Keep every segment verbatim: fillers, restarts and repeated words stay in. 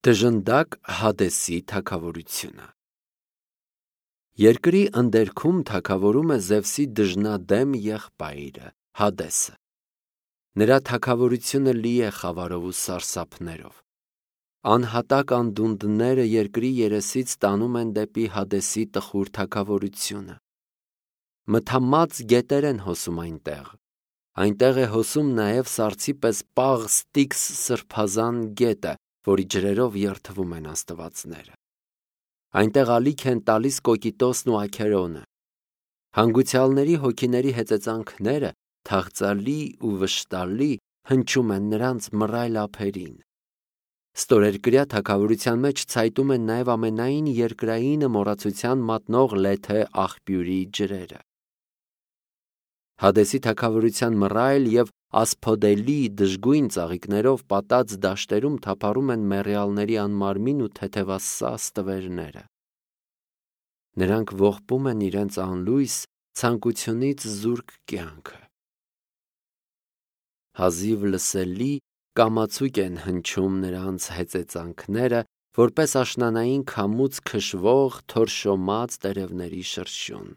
Դժնդակ Հադեսի թագավորությունը։ Երկրի ընդերքում թագավորում է Զևսի դժնադեմ եղբայրը Հադեսը։ Նրա թագավորությունը լի է խավարով ու սարսափներով։ Անհատակ անդունդները երկրի երեսից տանում են դեպի Հադեսի տխուր թագավորությունը։ Մթամած գետեր են հոսում այնտեղ։ Այնտեղ է հոսում նաև սառցի պես պաղ Ստիքս սրբազան գետը, որի ջրերով երթվում են աստվածները։ Այնտեղ ալիք են տալիս Կոկիտոսն ու Աքերոնը։ Հանգուցյալների հոգիների հեծեծանքները թախծալի ու վշտալի հնչում են նրանց մռայլ ափերին։ Ստորերկրյա թագավորության մեջ ցայտում են նաև ամենայն երկրայինը մոռացության մատնող Լեթե աղբյուրի ջրերը։ Հադեսի թագավորության մռայլ և ասփոդելի դժգույն ծաղիկներով պատած դաշտերում թափառում են մեռյալների անմարմին ու թեթևասա ստվերները։ Նրանք ողբում են իրենց անլույս ցանկությունից զուրկ կյանքը։ Հազիվ լսելի կամացուկ են հնչում նրանց հեծեծանքները, որպես աշնանային քամուց քշվող թորշոմած տերևների շրշյուն։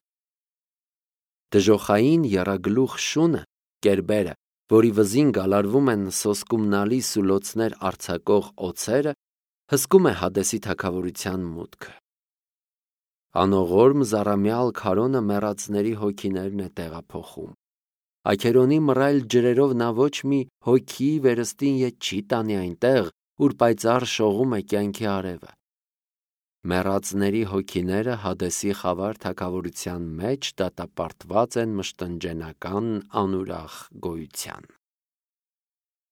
Դժոխային եռագլուխ շունը, կերբերը, որի վզին գալարվում են սոսկումնալի սուլոցներ արձակող օձերը, հսկում է Հադեսի թագավորության մուտքը։ Անողորմ զառամյալ քարոնը մեռածների հոգիներն է տեղափոխում։ Աքերոնի մռայլ ջրերով նա ոչ մի հոգի վերստին ետ չի տանի այնտեղ, ուր պայծառ շողում է կյանքի արևը։ Մեռածների հոգիները Հադեսի խավար թագավորության մեջ դատապարտված են մշտնջենական անուրախ գոյության։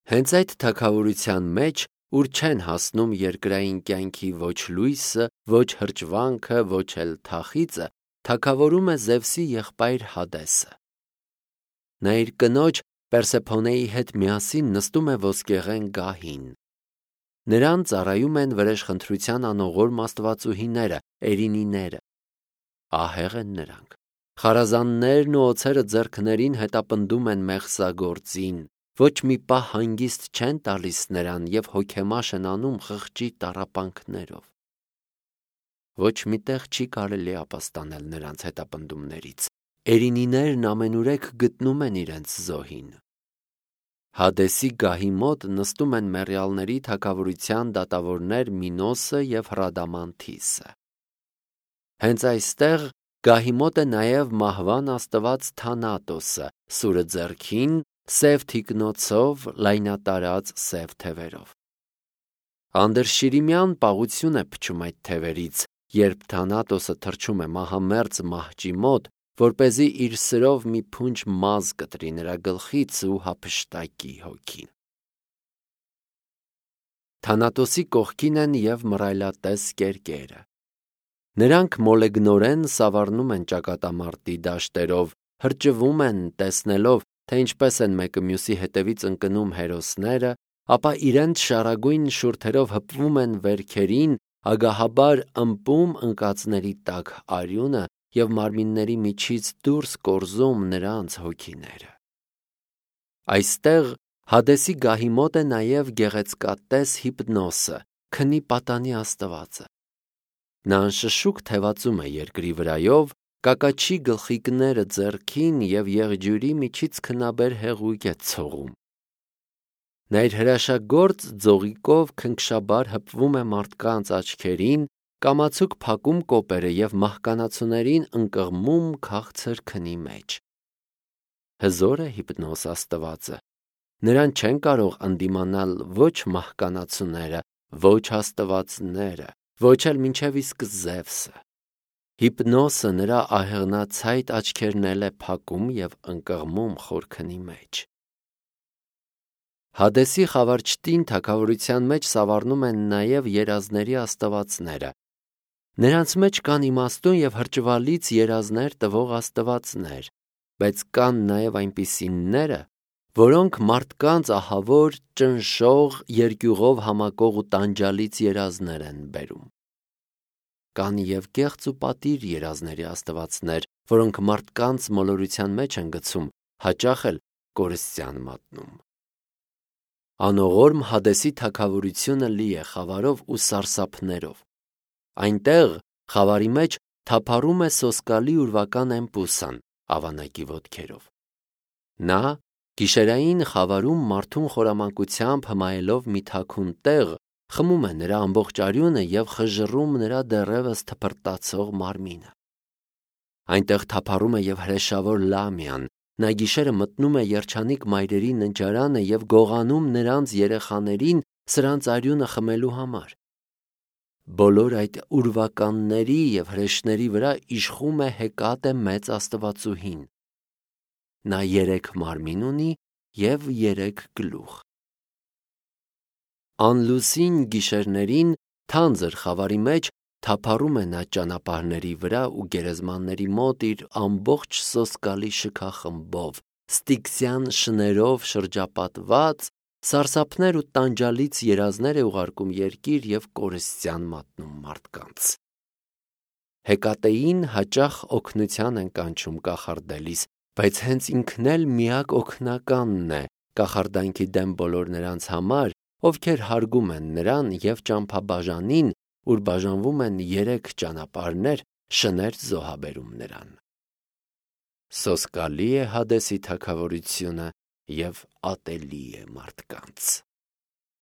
Հենց այդ թագավորության մեջ, ուր չեն հասնում երկրային կյանքի ոչ լույսը, ոչ հրճվանքը, ոչ էլ թախիծը, թագավորում է Զևսի եղբայր Հադեսը։ Նա իր կնոջ Պերսեփոնեի հետ միասին նստում է ոսկեղեն գահին։ Նրան ծառայում են վրեժխնդրության անողորմ աստվածուհիները, էրինիները։ Ահեղ են նրանք։ Խարազաններն ու օձերը ձեռքներին հետապնդում են մեղսագործին, ոչ մի պահ հանգիստ չեն տալիս նրան և հոգեմաշ են անում խղճի տառապանքներով։ Ոչ մի տեղ չի կարելի ապաստանել նրանց հետապնդումներից։ Էրինիներն ամենուրեք գտնում են իրենց զոհին։ Հադեսի գահի մոտ նստում են մեռյալների թագավորության դատավորներ Մինոսը և Հրադամանթիսը։ Հենց այստեղ գահի մոտ է նաև մահվան աստված Թանատոսը, սուրը ձեռքին, սև թիկնոցով, լայնատարած սև թևերով։ Անդրշիրիմյան պաղություն է փչում այդ թևերից, երբ Թանատոսը թռչում է մահամերձ մահճի մոտ, որպեսզի իր սրով մի փունջ մազ կտրի նրա գլխից ու հափշտակի հոգին։ Թանատոսի կողքին են և մռայլատես կերկերը։ Նրանք մոլեգնորեն սավառնում են ճակատամարտի դաշտերով, հրճվում են, տեսնելով, թե ինչպես են մեկը մյուսի հետևից ընկնում հերոսները, ապա իրենց շառագույն շուրթերով հպվում են վերքերին, ագահաբար ըմպում ընկածների տաք արյունը և մարմինների միջից դուրս կորզում նրանց հոգիները։ Այստեղ Հադեսի գահի մոտ է նաև գեղեցկատես Հիպնոսը, քնի պատանի աստվածը։ Նա անշշուկ թևածում է երկրի վրայով, կակաչի գլխիկները ձեռքին և եղջյուրի միջից քնաբեր հեղուկ է ցողում։ Նա իր հրաշագործ ձողիկով քնքշաբար հպվում է մարդկանց աչքերին, կամացուկ փակում կոպերը և մահկանացուներին ընկղմում քաղցր քնի մեջ։ Հզոր է Հիպնոս աստվածը։ Նրան չեն կարող ընդդիմանալ ոչ մահկանացուները, ոչ աստվածները, ոչ էլ մինչև իսկ Զևսը։ Հիպնոսը նրա ահեղնացայտ աչքերն էլ է փակում և ընկղմում խոր քնի մեջ։ Հադեսի խավարչտին թագավորության մեջ սավառնում են նաև երազների աստվածները։ Նրանց մեջ կան իմաստուն և հրճվալից երազներ տվող աստվածներ, բայց կան նաև այնպիսիները, որոնք մարդկանց ահավոր, ճնշող, երկյուղով համակող ու տանջալից երազներ են բերում։ Կան և կեղծ ու պատիր երազների աստվածներ, որոնք մարդկանց մոլորության մեջ են գցում, հաճախ էլ կորստյան մատնում։ Անողորմ Հադեսի թագավորությունը լի է խավարով ու սարսափներով։ Այնտեղ խավարի մեջ թափառում է սոսկալի ուրվական Էմպուսան ավանակի ոտքերով։ Նա գիշերային խավարում մարդուն խորամանկությամբ հմայելով մի թաքուն տեղ խմում է նրա ամբողջ արյունը և խժռում նրա դեռևս թփրտացող մարմինը։ Այնտեղ թափառում է և հրեշավոր Լամիան, նա գիշերը մտնում է երջանիկ մայրերի ննջարանը և գողանում նրանց երեխաներին սրանց արյունը խմելու համար։ Բոլոր այդ ուրվականների և հրեշների վրա իշխում է Հեկատե մեծ աստվածուհին։ Նա երեք մարմին ունի և երեք գլուխ։ Անլուսին գիշերներին թանձր խավարի մեջ թափառում է նա ճանապարհների վրա ու գերեզմանների մոտ իր ամբողջ սոսկալի շքախմբով, ստիքսյան շներով շրջապատված, սարսափներ ու տանջալից երազներ է ուղարկում երկիր և կորստյան մատնում մարդկանց։ Հեկատեին հաճախ օգնության են կանչում կախարդելիս, բայց հենց ինքն էլ միակ օգնականն է կախարդանքի դեմ բոլոր նրանց համար, ովքեր հարգում են նրան և ճամփաբաժանին, ուր բաժանվում են երեք ճանապարհներ, շներ զոհաբերում նրան։ Սոսկալի է Հադեսի թագավորությունը և ատելի է մարդկանց։